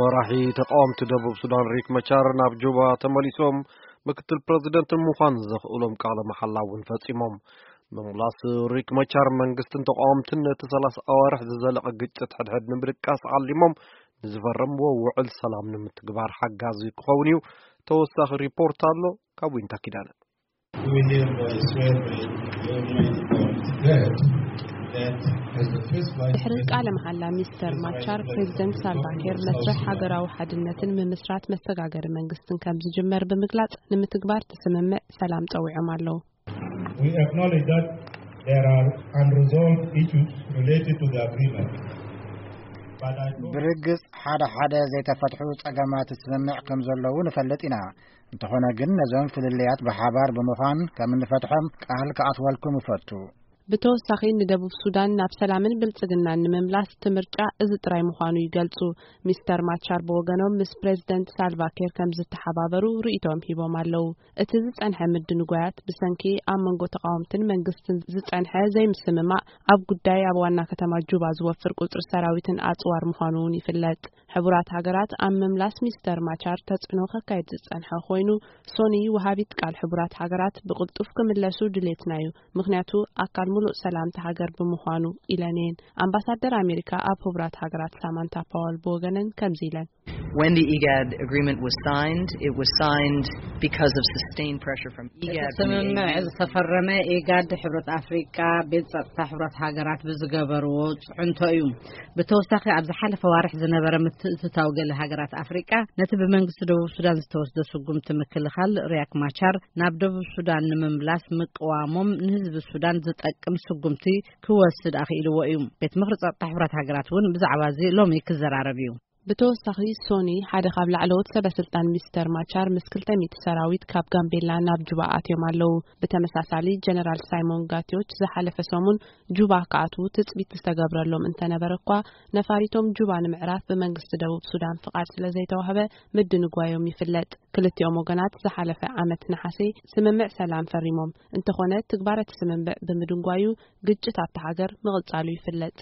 መራሒ ተቃወምቲ ደቡብ ሱዳን ሪክ መቻር ናብ ጁባ ተመሊሶም፣ ምክትል ፕረዚደንት ንምዃን ዘኽእሎም ቃለ መሓላ እውን ፈጺሞም። ምምላስ ሪክ መቻር መንግስትን ተቃወምትን ነቲ ሰላሳ ኣዋርሕ ዝዘለቐ ግጭት ሕድሕድ ንምድቃስ ዓሊሞም ንዝፈረምዎ ውዕል ሰላም ንምትግባር ሓጋዚ ክኸውን እዩ። ተወሳኺ ሪፖርት ኣሎ ካብ ዊንታ ኪዳነ። We hereby swear by the Almighty God that as the first vice ድሕሪ ቃለ መሓላ ሚስተር ማቻር፣ ፕሬዚደንት ሳልቫኪር መስርሕ ሃገራዊ ሓድነትን ምምስራት መሰጋገሪ መንግስትን ከም ዝጅመር ብምግላጽ፣ ንምትግባር እቲ ስምምዕ ሰላም ጸዊዖም ኣለዉ። We acknowledge that there are unresolved issues related to the agreement. But I promise ብርግጽ ሓደ ሓደ ዘይተፈትሑ ጸገማት ስምምዕ ከም ዘለዉ ንፈልጥ ኢና። እንተኾነ ግን ነዞም ፍልልያት ብሓባር ብምዃን ከም እንፈትሖም ቃል ክኣትወልኩም እፈቱ። ብተወሳኺ ንደቡብ ሱዳን ናብ ሰላምን ብልጽግናን ንምምላስ እቲ ምርጫ እዚ ጥራይ ምዃኑ ይገልጹ። ሚስተር ማቻር ብወገኖም ምስ ፕሬዚደንት ሳልቫኪር ከም ዝተሓባበሩ ርእይቶም ሂቦም ኣለዉ። እቲ ዝጸንሐ ምድንጓያት ብሰንኪ ኣብ መንጎ ተቃወምትን መንግስትን ዝጸንሐ ዘይምስምማዕ ኣብ ጉዳይ ኣብ ዋና ከተማ ጁባ ዝወፍር ቁጽሪ ሰራዊትን ኣጽዋር ምዃኑ እውን ይፍለጥ። ሕቡራት ሃገራት ኣብ ምምላስ ሚስተር ማቻር ተጽዕኖ ከካይድ ዝጸንሐ ኮይኑ፣ ሶኒ ወሃቢት ቃል ሕቡራት ሃገራት ብቕልጡፍ ክምለሱ ድሌትና እዩ፣ ምኽንያቱ ኣካል ምሉእ ሰላምቲ ሃገር ብምዃኑ ኢለን እየን። ኣምባሳደር ኣሜሪካ ኣብ ሕቡራት ሃገራት ሳማንታ ፓወል ብወገነን ከምዚ ኢለን። When the IGAD agreement was signed, it was signed because of sustained pressure from እቲ IGAD, from the ስምምዕ A U. ዝተፈረመ ኢጋድ፣ ሕብረት ኣፍሪቃ፣ ቤት ጸጥታ ሕብረት ሃገራት ብዝገበርዎ ጽዕንቶ እዩ። ብተወሳኺ ኣብ ዝሓለፈ ዋርሕ ዝነበረ ምትእትታው ገለ ሃገራት ኣፍሪቃ ነቲ ብመንግስቲ ደቡብ ሱዳን ዝተወስደ ስጉምቲ ምክልኻል ሪያክ ማቻር ናብ ደቡብ ሱዳን ንምምላስ ምቅዋሞም ንህዝቢ ሱዳን ዝጠቅም ስጉምቲ ክወስድ ኣኽኢልዎ እዩ። ቤት ምኽሪ ጸጥታ ሕብረት ሃገራት እውን ብዛዕባ እዚ ሎሚ ክዘራረብ እዩ። ብተወሳኺ ሶኒ ሓደ ካብ ላዕለዎት ሰበ ስልጣን ሚስተር ማቻር ምስ ክልተ ሚእቲ ሰራዊት ካብ ጋምቤላ ናብ ጁባ ኣትዮም ኣለዉ። ብተመሳሳሊ ጀነራል ሳይሞን ጋቲዮች ዝሓለፈ ሰሙን ጁባ ክኣትዉ ትጽቢት ዝተገብረሎም እንተነበረ እኳ፣ ነፋሪቶም ጁባ ንምዕራፍ ብመንግስቲ ደቡብ ሱዳን ፍቓድ ስለ ዘይተዋህበ ምድንጓዮም ይፍለጥ። ክልቲኦም ወገናት ዝሓለፈ ዓመት ነሓሴ ስምምዕ ሰላም ፈሪሞም። እንተኾነ ትግባረ እቲ ስምምዕ ብምድንጓዩ ግጭት ኣብታ ሃገር ምቕጻሉ ይፍለጥ።